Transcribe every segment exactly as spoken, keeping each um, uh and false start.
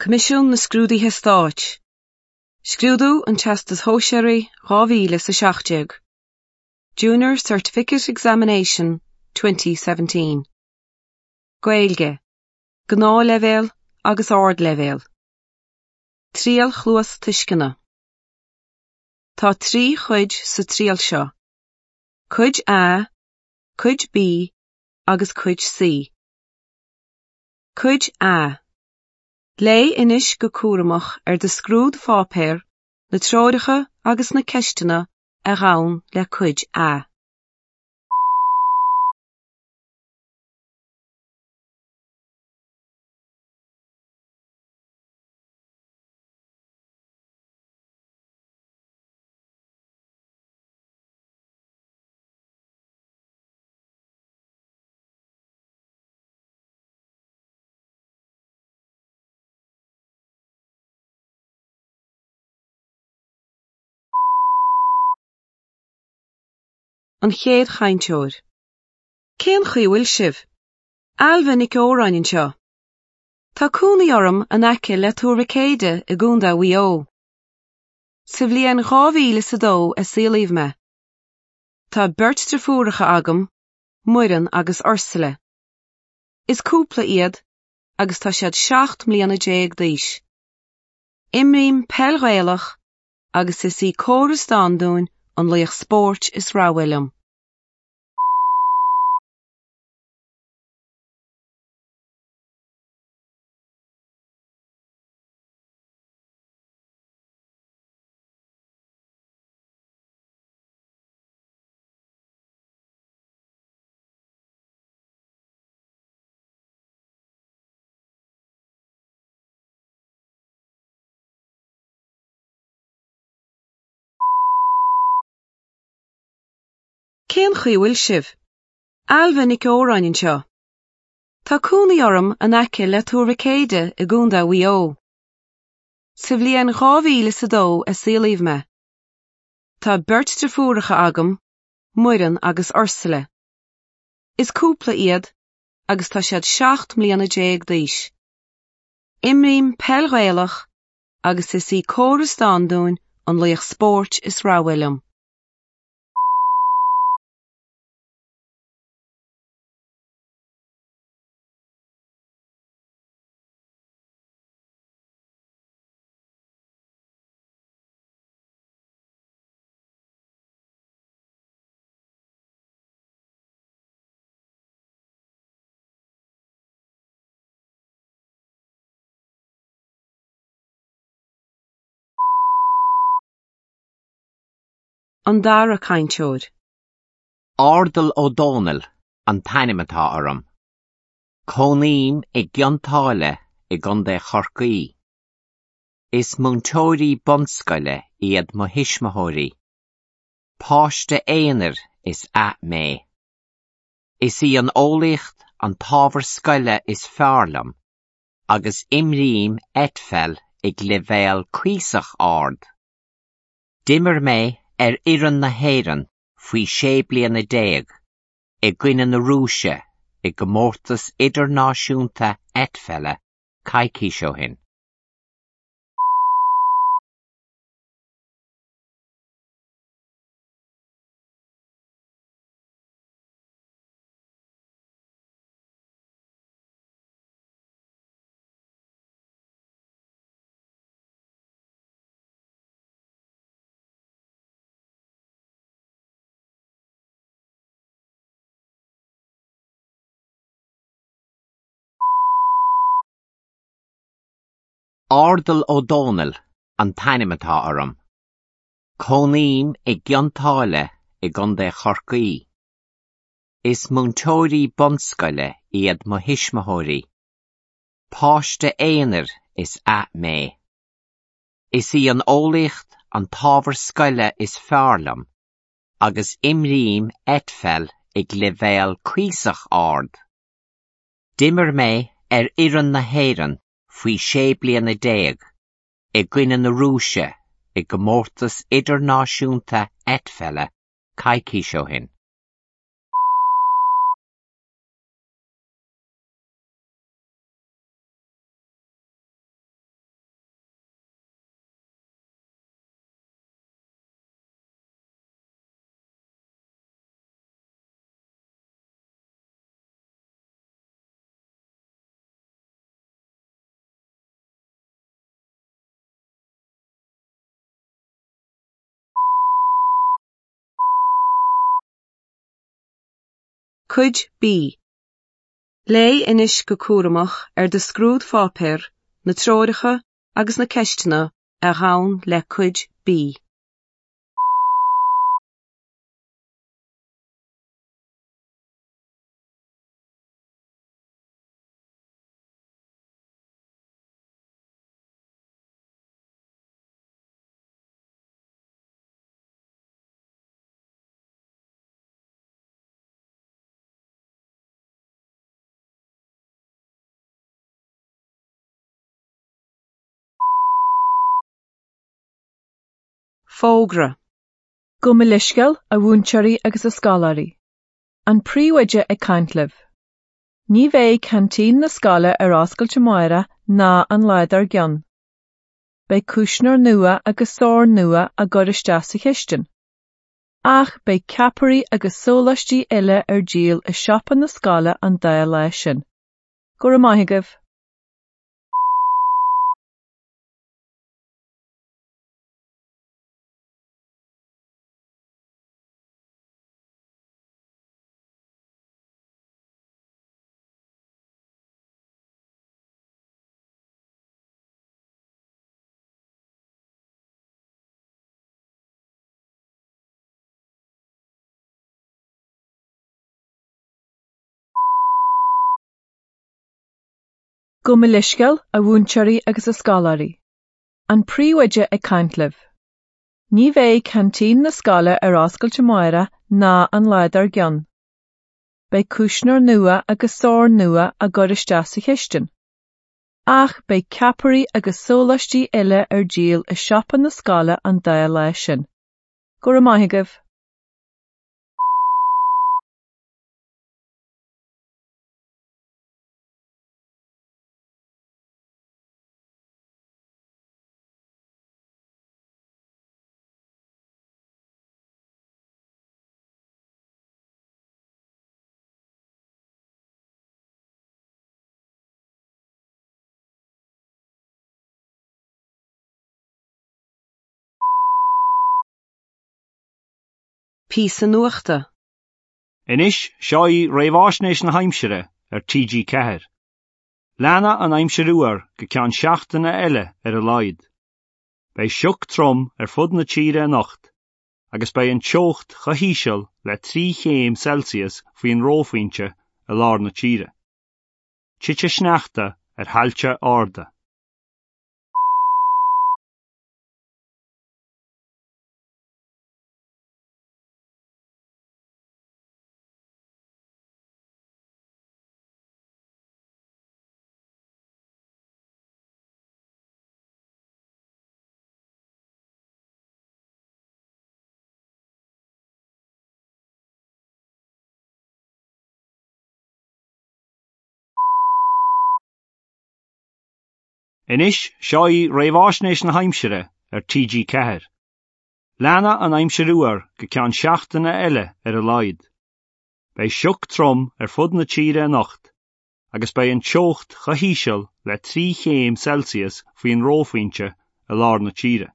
Coimisiún na Scrúduithe Stáit. Scrúdú an Teastais Shóisearaigh dhá mhíle is a seacht déag. Junior Certificate Examination twenty seventeen. Gaeilge, Gnáthleibhéal agus Ardleibhéal. Triail Chluastuisceana. Tá trí chuid sa triail seo. Cuid A, Cuid B agus Cuid C. Cuid A. Léigh anois go cúramach ar do scrúdpháipéar na treoracha agus na ceisteanna a ghabhann le Cuid A. An chéad chainteoir. Cén chaoi a bhfuil sibh? Ailbhe Nic Óráin anseo. Tá cónaí orm in aice le Tuar Mhic Éadaigh i gContae Mhaigh Eo. Sa bhliain dhá mhíle is a dó a saolaíodh mé. Tá beirt deirfiúracha agam, Muireann agus Ursula. Is cúpla iad agus tá siad seacht mbliana déag d'aois. Imrím peil Ghaelach agus is í Córas Standún an laoch spóirt is rogha liom. Cén chaoi a bhfuil sibh? Ailbhe Nic Óráin anseo. Tá cónaí orm in aice le Tuar Mhic Éadaigh i gContae Mhaigh Eo. Sa bhliain dhá mhíle is a dó a saolaíodh mé. Tá beirt deirfiúracha agam, Muireann agus Ursula. Is cúpla iad agus tá siad seacht mbliana déag d'aois. Imrím peil Ghaelach agus is í Córas Standún an laoch spóirt is rogha liom. An dara cainteoir. Ardal Ó Dónaill an t-ainm atá orm. Cónaím i gCionn tSáile i gContae Chorcaí. Is múinteoirí bunscoile iad mo thuismitheoirí. Páiste aonair is ea mé. Is í an eolaíocht an t-ábhar scoile is fearr liom, agus imrím eitpheil ag leibhéal cuíosach ard. D'imir mé ar fhoireann na hÉireann faoi sé bliana déag, i gcoinne na Rúise i gcomórtas idirnáisiúnta eitpheile coicís ó shin. Ardal Ó Dónaill an t-ainm atá orm. Cónaím i gCionn tSáile i gContae Chorcaí. Is múinteoirí bunscoile iad mo thuismitheoirí. Páiste aonair is ea mé. Is í an eolaíocht an t-ábhar scoile is fearr liom, agus imrím eitpheil ag leibhéal cuíosach ard. D'imir mé ar fhoireann na hÉireann faoi sé bliana déag, i gcoinne na Rúise i gcomórtas idirnáisiúnta eitpheile coicís ó shin. Cuid B. Léigh anois go cúramach ar do scrúdpháipéar, na treoracha agus na ceisteanna a ghabhann le Cuid B. Fógra. Gabh mo leithscéal, a mhúinteoirí agus a scoláirí. An príomhoide ag caint libh. Ní bheidh ceaintín na scoile ar oscailt amárach ná an lá dár gcionn. Beidh cuisneoir nua agus sorn nua á gcur isteach sa chistin. Ach beidh ceapairí agus sóláistí eile ar díol i siopa na scoile an dá lá sin. Go raibh maith agaibh. Gabh mo leithscéal, a mhúinteoirí agus a scoláirí. An príomhoide ag caint libh. Ní bheidh ceaintín na scoile ar oscailt amárach ná an lá dár gcionn. Beidh cuisneoir nua agus sorn nua á gcur isteach sa chistin. Ach beidh ceapairí agus sóláistí eile ar díol i siopa na scoile an dá lá sin. Go raibh maith agaibh. Píosa nuachta. Anois seo í réamhaisnéis na haimsire ar TG Ceathair. Leanfaidh an aimsir fhuar go ceann seachtaine eile ar a laghad. Beidh sioc trom ar fud na tíre anocht, agus beidh an teocht chomh híseal le trí chéim Celsius faoin reophointe i lár na tíre. Titfidh sneachta ar thailte arda. Anois seo í réamhaisnéis na haimsire ar TG Ceathair. Leanfaidh an aimsir fhuar go ceann seachtaine eile ar a laghad. Beidh sioc trom ar fud na tíre anocht, agus beidh an teocht chomh híseal le trí chéim Celsius faoin reophointe i lár na tíre.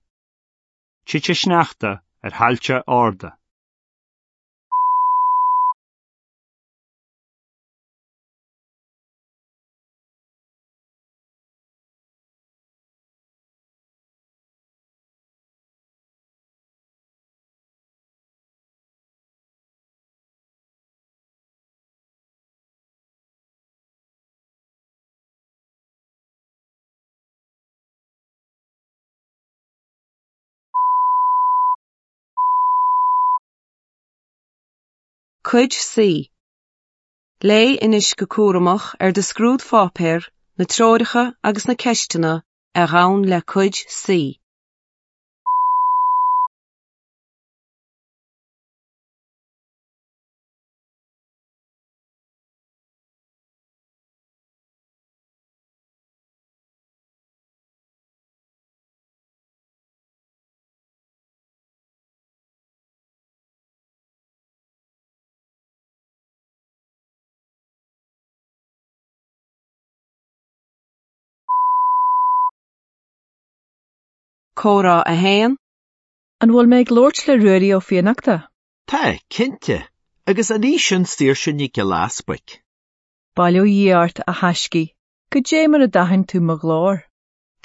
Titfidh sneachta ar thailte arda. Cuid C. Léigh anois go cúramach ar do scrúdpháipéar, na treoracha agus na ceisteanna a ghabhann le Cuid C. Comhrá a haon. An bhfuil mé ag labhairt le Ruairí Ó Fiannachta? Tá, cinnte, Agus an í sin Saoirse Nic Giolla Easbuic? Bail ó Dhia ort a thaiscidh, goidé mar a d'aithin tú mo ghlór.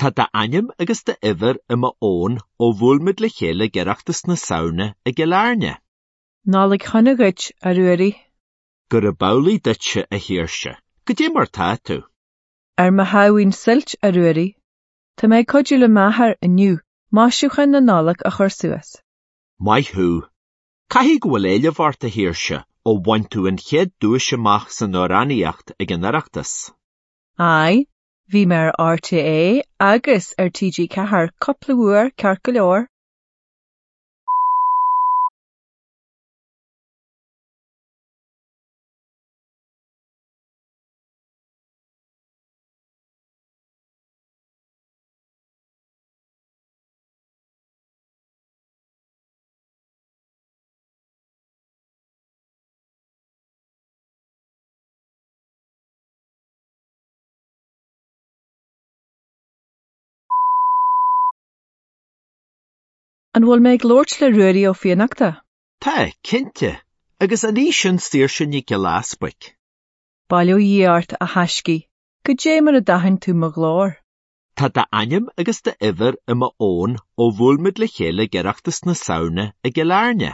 Tá d'ainm agus d'uimhir i mo fhón ó bhuail muid le chéile ag Oireachtas na Samhna i gCill Airne. Nollaig shona dhuit, a Ruairí. Gurab amhlaidh duitse, a Shaoirse. Goidé mar tá tú? Ar mo shamhaoin suilt, a Ruairí. Tá mé ag cuidiú le m'athair inniu maisiúcháin na Nollag a chur suas. Maith thú. Caithfidh go bhfuil éileamh ort, a Shaoirse, ó bhain tú an chéad duais amach san amhránaíocht ag an Oireachtas. Aye, bhí mé ar RTÉ agus ar TG Ceathair cúpla uair ceart go leor. An bhfuil mé ag labhairt le Ruairí Ó Fiannachta? Tá, cinnte. Agus an í sin Saoirse Nic Giolla Easbuic? Bail ó Dhia ort, a thaiscidh, goidé mar a d'aithin tú mo ghlór. Tá d'ainm agus d'uimhir i mo fhón ó bhuail muid le chéile ag Oireachtas na Samhna i gCill Airne.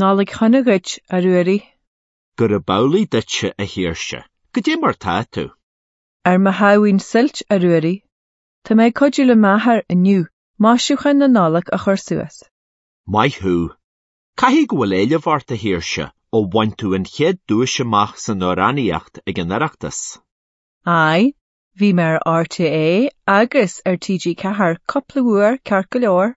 Nollaig shona dhuit, a Ruairí. Gurab amhlaidh duitse, a Shaoirse. Goidé mar tá tú? Ar mo shamhaoin suilt, a Ruairí. Tá mé ag cuidiú le m'athair inniu maisiúcháin na Nollag a chur suas. Maith thú. Caithfidh go bhfuil éileamh ort, a Shaoirse, ó bhain tú an chéad duais amach san amhránaíocht ag an Oireachtas. Aye, bhí mé ar RTÉ agus ar TG Ceathair cúpla uair ceart go leor.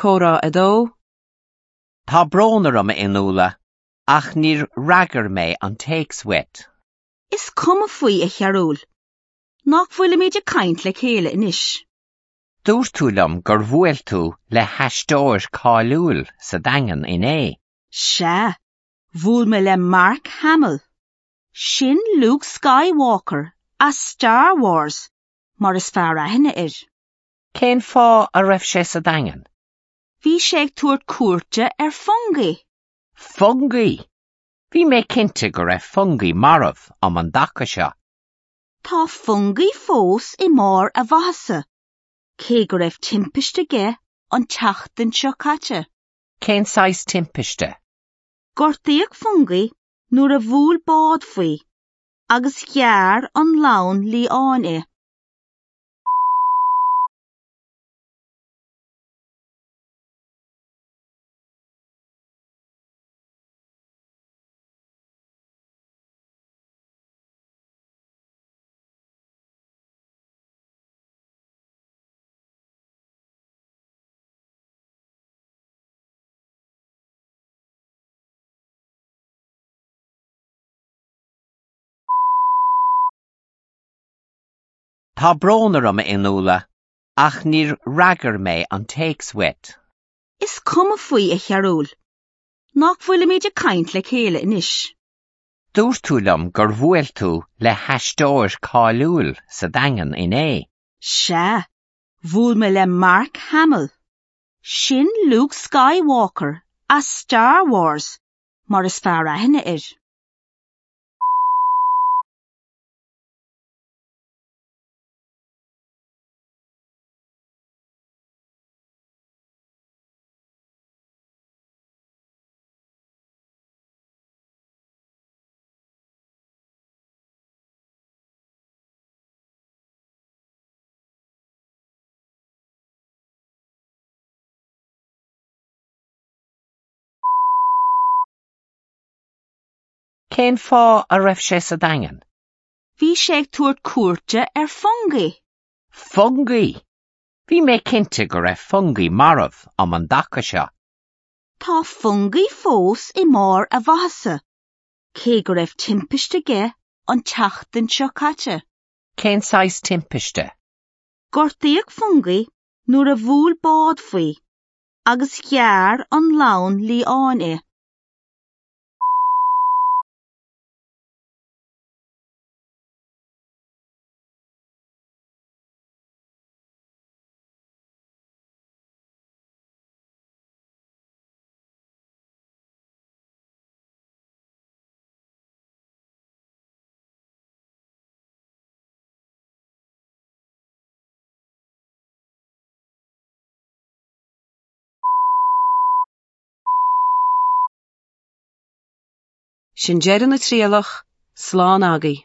Comhrá a dó. Tá brón orm a Fhionnuala, ach níor fhreagair mé an téacs uait. Is cuma faoi a Chearúil. Nach bhfuilimid ag caint le chéile anois. Dúirt tú liom gur bhuail tú le haisteoir cáiliúil sa Daingean inné. Sea, bhuail mé le Mark Hamill. Sin Luke Skywalker as Star Wars, mar is fearr aithne air. Cén fáth a raibh sé sa Daingean? Bhí sé ag tabhairt cuairte ar Fungie. Fungie! Bhí mé cinnte go raibh Fungie marbh um an dtaca seo. Tá Fungie fós i mbarr a mhaitheasa, cé go raibh timpiste aige an tseachtain seo caite. Cén saghas timpiste? Gortaíodh Fungie nuair a bhuail bád faoi, agus ghearr an lann liáin é. Tá brón orm a Fhionnuala, ach níor fhreagair mé an téacs uait. Is cuma faoi a Chearúil. Nach bhfuilimid ag caint le chéile anois. Dúirt tú liom gur bhuail tú le haisteoir cáiliúil sa Daingean inné. Sea, bhuail mé le Mark Hamill. Sin Luke Skywalker as Star Wars, mar is fearr aithne air. Cén fáth a raibh sé sa Daingean? Bhí sé ag tabhairt cuairte ar Fungie. Fungie! Bhí mé cinnte go raibh Fungie marbh um an dtaca seo. Tá Fungie fós i mbarr a mhaitheasa, cé go raibh timpiste aige an tseachtain seo caite. Cén saghas timpiste? Gortaíodh Fungie nuair a bhuail bád faoi, agus ghearr an lann liáin é. Sin deireadh na trialach, slán agaibh.